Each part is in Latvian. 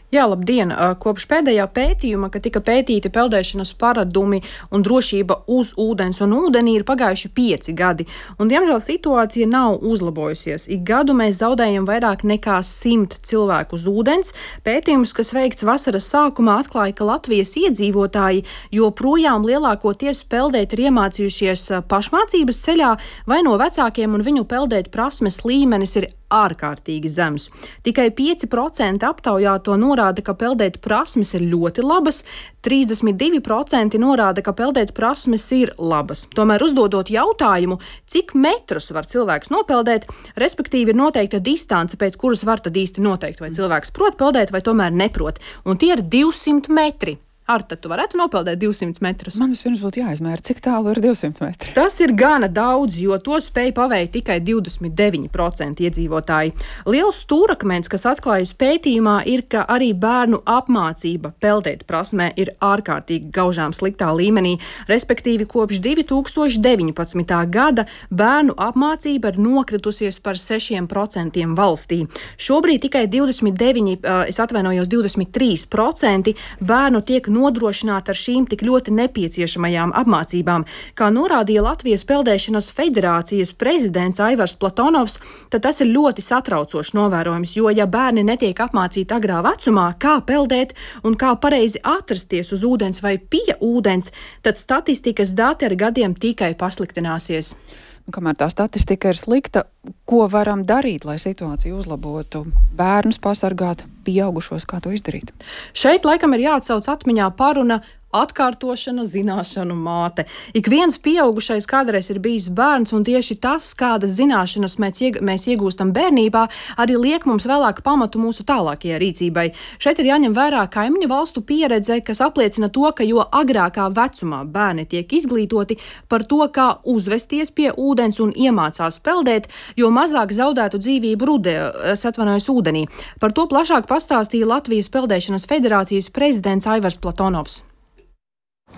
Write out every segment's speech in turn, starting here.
Jā, labdien! Kopš pēdējā pētījuma, kad tika pētīti peldēšanas paradumi un drošība uz ūdens un ūdenī, ir pagājuši 5 gadi. Un, diemžēl, situācija nav uzlabojusies. Ik gadu mēs zaudējam vairāk nekā 100 cilvēku uz ūdens. Pētījums, kas veikts vasaras sākumā, atklāja, ka Latvijas iedzīvotāji joprojām lielākoties peldēt ir iemācījušies pašmācības ceļā vai no vecākiem, un viņu peldēt prasmes līmenis ir ārkārtīgi zems. Tikai 5% aptaujāto norāda, ka peldēt prasmes ir ļoti labas, 32% norāda, ka peldēt prasmes ir labas. Tomēr uzdodot jautājumu, cik metrus var cilvēks nopeldēt, respektīvi ir noteikta distance, pēc kuras var tad īsti noteikt, vai cilvēks prot peldēt vai tomēr neprot. Un tie ir 200 metri. Arta, tu varētu nopeldēt 200 metrus? Man vispirms būtu jāizmēra, cik tālu ir 200 metri. Tas ir gana daudz, jo to spēja paveikt tikai 29% iedzīvotāji. Liels stūrakmens, kas atklājas pētījumā, ir, ka arī bērnu apmācība peldēt prasmē ir ārkārtīgi gaužām sliktā līmenī. Respektīvi, kopš 2019. gada bērnu apmācība ir nokritusies par 6% valstī. Šobrīd tikai 23% bērnu tiek nodrošināt ar šīm tik ļoti nepieciešamajām apmācībām. Kā norādīja Latvijas peldēšanas federācijas prezidents Aivars Platonovs, tad tas ir ļoti satraucošs novērojums, jo ja bērni netiek apmācīti agrā vecumā, kā peldēt un kā pareizi atrasties uz ūdens vai pie ūdens, tad statistikas dati ar gadiem tikai pasliktināsies. Kamēr tā statistika ir slikta, ko varam darīt, lai situāciju uzlabotu? Bērnus pasargāt, pieaugušos, kā to izdarīt? Šeit laikam ir jāatsauc atmiņā paruna atkārtošana, zināšanu māte. Ik viens pieaugušais kādreiz ir bijis bērns, un tieši tas, kādas zināšanas mēs iegūstam bērnībā, arī liek mums vēlāk pamatu mūsu tālākajai rīcībai. Šeit ir jāņem vērā kaimiņu valstu pieredze, kas apliecina to, ka jo agrākā vecumā bērni tiek izglītoti par to, kā uzvesties pie ūdens un iemācās peldēt, jo mazāk zaudētu dzīvību ūdenī. Par to plašāk pastāstīja Latvijas peldēšanas federācijas prezidents Aivars Platonovs.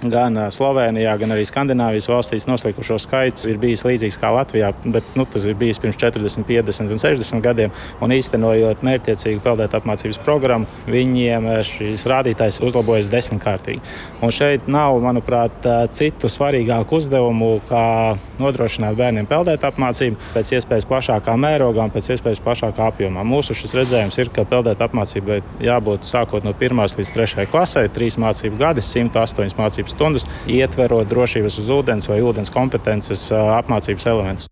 Gan Slovenijā, gan arī Skandināvijas valstīs noslīkušo skaits ir bijis līdzīgs kā Latvijā, bet tas ir bijis pirms 40, 50 un 60 gadiem. Un īstenojot mērķtiecīgu peldēt apmācības programmu, viņiem šīs rādītājs uzlabojas 10-kārtīgi. Un šeit nav, manuprāt, citu svarīgāku uzdevumu, kā nodrošināt bērniem peldēt apmācību pēc iespējas plašākā mērogā un pēc iespējas plašākā apjomā. Mūsu šis redzējums ir, ka peldēt apmācībai jābūt sākot no 1. līdz 3. klasē, 3 mācību gadi, 108 mācību stundas, ietverot drošības uz ūdens vai ūdens kompetences apmācības elementus.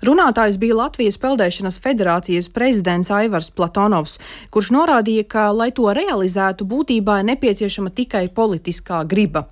Runātājs bija Latvijas peldēšanas federācijas prezidents Aivars Platonovs, kurš norādīja, ka, lai to realizētu, būtībā ir nepieciešama tikai politiskā griba.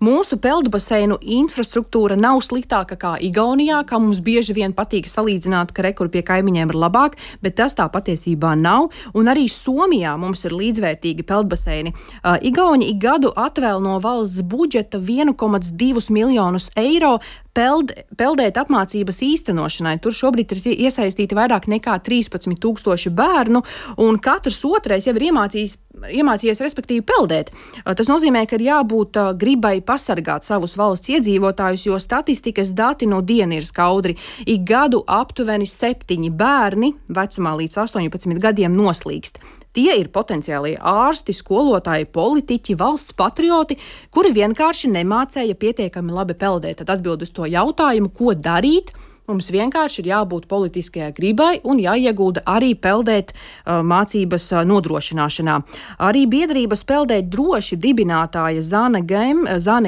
Mūsu peldbaseinu infrastruktūra nav sliktāka kā Igaunijā, kā mums bieži vien patīk salīdzināt, ka rekur pie kaimiņiem ir labāk, bet tas tā patiesībā nav. Un arī Somijā mums ir līdzvērtīgi peldbaseini. Igauni ik gadu atvēl no valsts budžeta 1,2 miljonus eiro peldēt apmācības īstenošanai. Tur šobrīd ir iesaistīti vairāk nekā 13,000 bērnu, un katrs otrais jau ir iemācījies respektīvi peldēt. Tas nozīmē, ka ir jābūt gribai pasargāt savus valsts iedzīvotājus, jo statistikas dati no diena ir skaudri. Ik gadu aptuveni 7 bērni vecumā līdz 18 gadiem noslīkst. Tie ir potenciālie ārsti, skolotāji, politiķi, valsts patrioti, kuri vienkārši nemācēja pietiekami labi peldēt. Tad atbild uz to jautājumu, ko darīt. Mums vienkārši ir jābūt politiskajai gribai un jāiegulda arī peldēt mācības nodrošināšanā. Arī biedrības Peldēt droši dibinātāja Zāne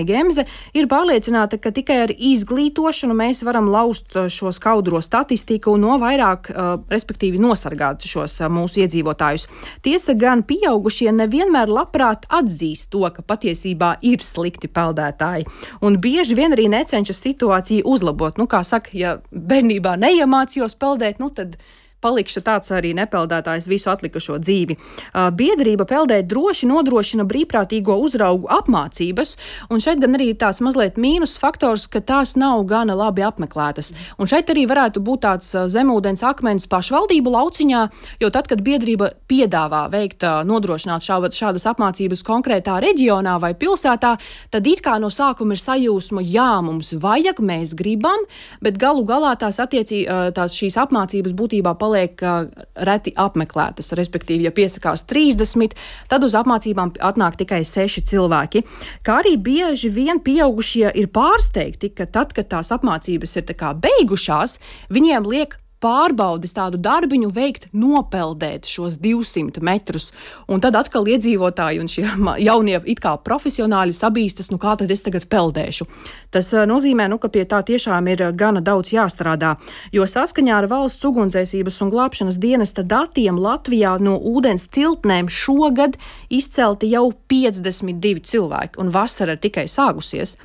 Gemze ir pārliecināta, ka tikai ar izglītošanu mēs varam laust šo skaudro statistiku un no vairāk, respektīvi nosargāt šos mūsu iedzīvotājus. Tiesa gan pieaugušie nevienmēr labprāt atzīst to, ka patiesībā ir slikti peldētāji. Un bieži vien arī necenšas situāciju uzlabot. Kā saka, ja bērnībā neiemācījos peldēt, tad palikšu tāds arī nepeldētājs visu atlikušo dzīvi. Biedrība Peldēt droši nodrošina brīvprātīgo uzraugu apmācības, un šeit gan arī tāds mazliet mīnus faktors, ka tās nav gana labi apmeklētas. Un šeit arī varētu būt tāds zemūdens akmens pašvaldību lauciņā, jo tad, kad biedrība piedāvā veikt, nodrošināt šādas apmācības konkrētā reģionā vai pilsētā, tad it kā no sākuma ir sajūsma, jā, mums vajag, mēs gribam, bet galu galā šīs apmācības būtībā paliek paliek reti apmeklētas. Respektīvi, ja piesakās 30, tad uz apmācībām atnāk tikai 6 cilvēki. Kā arī bieži vien pieaugušie ir pārsteigti, ka tad, kad tās apmācības ir tā kā beigušās, viņiem liek pārbaudes tādu darbiņu veikt, nopeldēt šos 200 metrus. Un tad atkal iedzīvotāji un šie jaunie it kā profesionāļi sabīstas, kā tad es tagad peldēšu. Tas nozīmē, ka pie tā tiešām ir gana daudz jāstrādā, jo saskaņā ar Valsts ugunsdzēsības un glābšanas dienesta datiem Latvijā no ūdens tilpnēm šogad izcelti jau 52 cilvēki, un vasara ir tikai sākusies.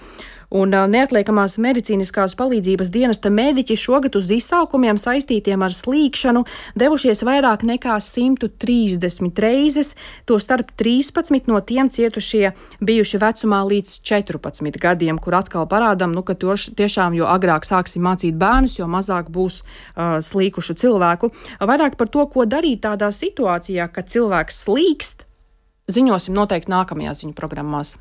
Un neatliekamās medicīniskās palīdzības dienesta mediķi šogad uz izsaukumiem saistītiem ar slīkšanu devušies vairāk nekā 130 reizes, to starp 13 no tiem cietušie bijuši vecumā līdz 14 gadiem, kur atkal parādām, ka tiešām, jo agrāk sāksim mācīt bērnus, jo mazāk būs slīkušu cilvēku. Vairāk par to, ko darīt tādā situācijā, kad cilvēks slīkst, ziņosim noteikti nākamajās ziņu programmās.